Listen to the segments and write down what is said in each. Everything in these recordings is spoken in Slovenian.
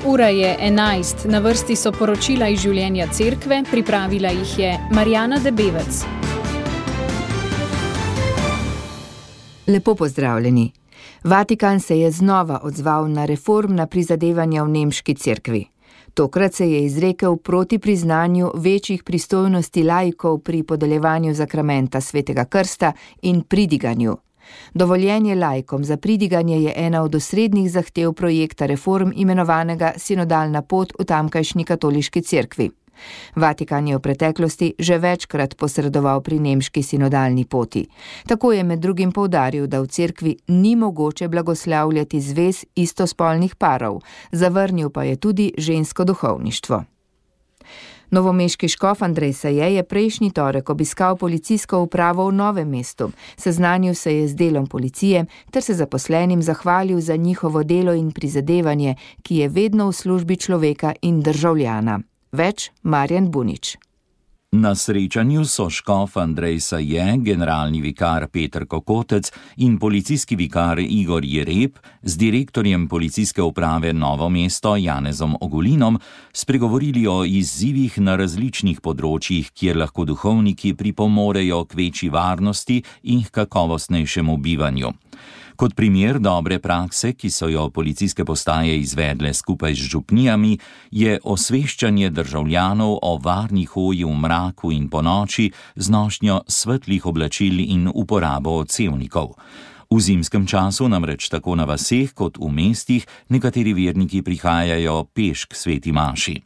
Ura je 11, na vrsti so poročila iz življenja cerkve, pripravila jih je Marjana Debevec. Lepo pozdravljeni. Vatikan se je znova odzval na reformna prizadevanja v nemški cerkvi. Tokrat se je izrekel proti priznanju večjih pristojnosti laikov pri podeljevanju zakramenta svetega krsta in pridiganju. Dovoljenje laikom za pridiganje je ena od osrednjih zahtev projekta reform imenovanega Sinodalna pot v tamkajšnji katoliški cerkvi. Vatikan je v preteklosti že večkrat posredoval pri nemški sinodalni poti. Tako je med drugim poudaril, da v cerkvi ni mogoče blagoslavljati zvez istospolnih parov, zavrnil pa je tudi žensko duhovništvo. Novomeški škof Andrej Saje je prejšnji torek obiskal policijsko upravo v Novem mestu, seznanil se je z delom policije ter se zaposlenim zahvalil za njihovo delo in prizadevanje, ki je vedno v službi človeka in državljana. Več Marjan Bunič. Na srečanju so škof Andrej Saje, generalni vikar Peter Kokotec in policijski vikar Igor Jereb z direktorjem policijske uprave Novo mesto Janezom Ogulinom spregovorili o izzivih na različnih področjih, kjer lahko duhovniki pripomorejo k večji varnosti in k kakovostnejšemu bivanju. Kot primer dobre prakse, ki so jo policijske postaje izvedle skupaj z župnijami, je osveščanje državljanov o varni hoji v mraku in ponoči z nošnjo svetlih oblačil in uporabo odsevnikov. V zimskem času namreč tako na vaseh kot v mestih nekateri verniki prihajajo peš k sveti maši.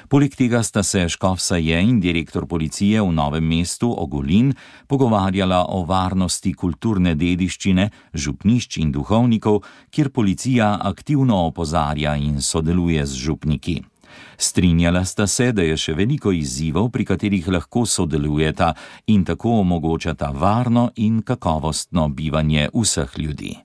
Poleg tega sta se škof Saje in direktor policije v Novem mestu Ogulin pogovarjala o varnosti kulturne dediščine, župnišč in duhovnikov, kjer policija aktivno opozarja in sodeluje z župniki. Strinjala sta se, da je še veliko izzivov, pri katerih lahko sodelujeta in tako omogočata varno in kakovostno bivanje vseh ljudi.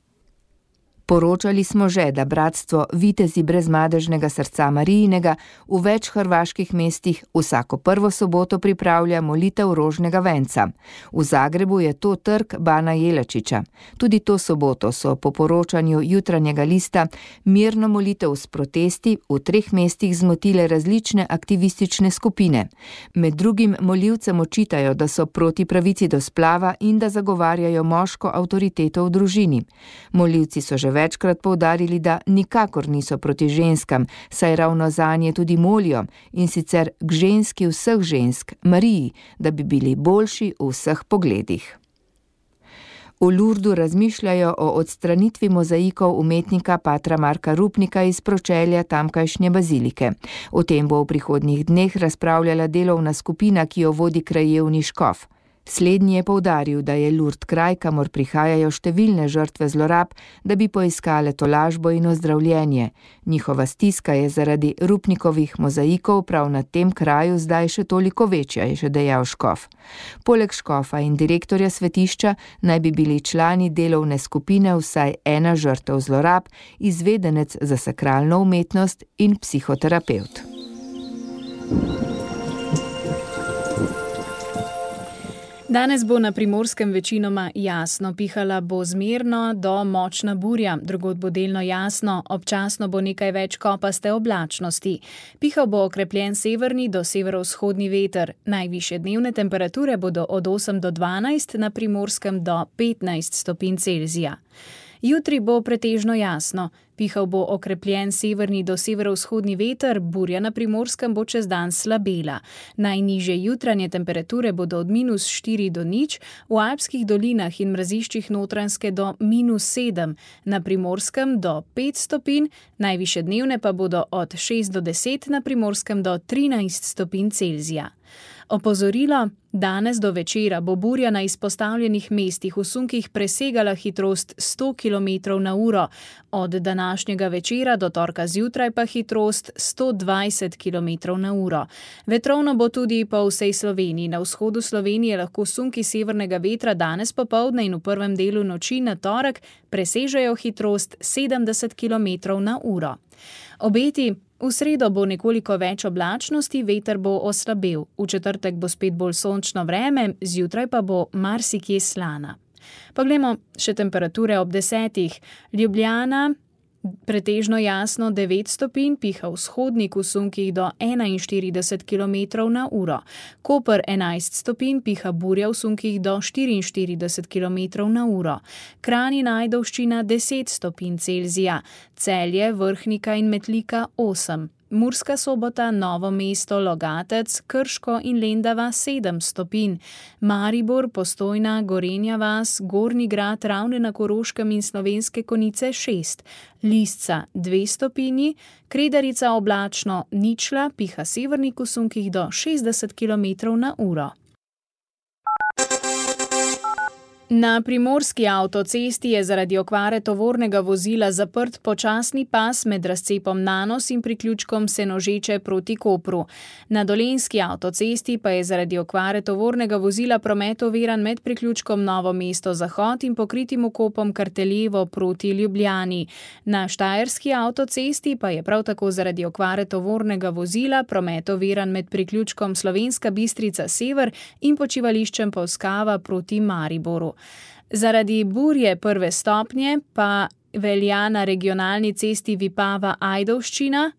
Poročali smo že, da bratstvo Vitezi brezmadežnega srca Marijinega v več hrvaških mestih vsako prvo soboto pripravlja molitev rožnega venca. V Zagrebu je to trg Bana Jelačiča. Tudi to soboto so po poročanju Jutranjega lista mirno molitev s protesti v 3 mestih zmotile različne aktivistične skupine. Med drugim molivcem očitajo, da so proti pravici do splava in da zagovarjajo moško avtoriteto v družini. Molivci so že večkrat poudarili, da nikakor niso proti ženskam, saj ravno zanje tudi molijo, in sicer k ženski vseh žensk, Mariji, da bi bili boljši v vseh pogledih. V Lurdu razmišljajo o odstranitvi mozaikov umetnika patra Marka Rupnika iz pročelja tamkajšnje bazilike. O tem bo v prihodnjih dneh razpravljala delovna skupina, ki jo vodi krajevni škof. Slednji je poudaril, da je Lurd kraj, kamor prihajajo številne žrtve zlorab, da bi poiskale tolažbo in ozdravljenje. Njihova stiska je zaradi Rupnikovih mozaikov prav na tem kraju zdaj še toliko večja, je še dejal škof. Poleg škofa in direktorja svetišča naj bi bili člani delovne skupine vsaj ena žrtev zlorab, izvedenec za sakralno umetnost in psihoterapevt. Danes bo na Primorskem večinoma jasno, pihala bo zmerno do močna burja, drugod bo delno jasno, občasno bo nekaj več kopaste oblačnosti. Pihal bo okrepljen severni do severovzhodni veter, najvišje dnevne temperature bodo od 8 do 12, na Primorskem do 15 stopinj Celzija. Jutri bo pretežno jasno, pihal bo okrepljen severni do severovzhodni veter, burja na Primorskem bo čez dan slabela. Najnižje jutranje temperature bodo od -4 do 0, v alpskih dolinah in mraziščih Notranjske do -7, na Primorskem do 5 stopinj, najvišje dnevne pa bodo od 6 do 10, na Primorskem do 13 stopinj Celzija. Opozorilo: danes do večera bo burja na izpostavljenih mestih v sunkih presegala hitrost 100 km/h, od današnjega večera do torka zjutraj pa hitrost 120 km/h. Vetrovno bo tudi po vsej Sloveniji. Na vzhodu Slovenije lahko sunki severnega vetra danes popoldne in v prvem delu noči na torek presežejo hitrost 70 km/h. Obeti: v sredo bo nekoliko več oblačnosti, veter bo oslabel. V četrtek bo spet bolj sončno vreme, zjutraj pa bo marsikje slana. Poglejmo še temperature ob 10. Ljubljana Pretežno jasno 9 stopinj, piha vzhodnik v sunkih do 41 km/h. Koper 11 stopinj, piha burja v sunkih do 44 km/h. Kranj in Ajdovščina 10 stopinj Celzija, Celje, Vrhnika in Metlika 8. Murska Sobota, Novo mesto, Logatec, Krško in Lendava 7 stopinj. Maribor, Postojna, Gorenja vas, Gornji Grad, Ravne na Koroškem in Slovenske Konjice 6. Lisca 2 stopinji, Kredarica oblačno, ničla, piha severnik v sunkih do 60 km/h. Na primorski avtocesti je zaradi okvare tovornega vozila zaprt počasni pas med razcepom Nanos in priključkom Senožeče proti Kopru. Na dolenjski avtocesti pa je zaradi okvare tovornega vozila promet oviran med priključkom Novo mesto Zahod in pokritim vkopom Karteljevo proti Ljubljani. Na štajerski avtocesti pa je prav tako zaradi okvare tovornega vozila promet oviran med priključkom Slovenska Bistrica Sever in počivališčem Polskava proti Mariboru. Zaradi burje 1. stopnje pa velja na regionalni cesti Vipava-Ajdovščina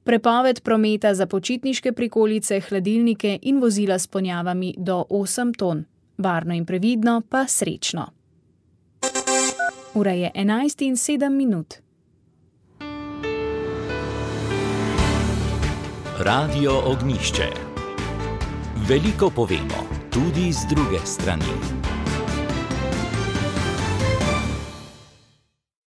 prepoved prometa za počitniške prikolice, hladilnike in vozila s ponjavami do 8 ton. Varno in previdno pa srečno. Ura je 11:07. Radio Ognjišče. Veliko povemo, tudi z druge strani.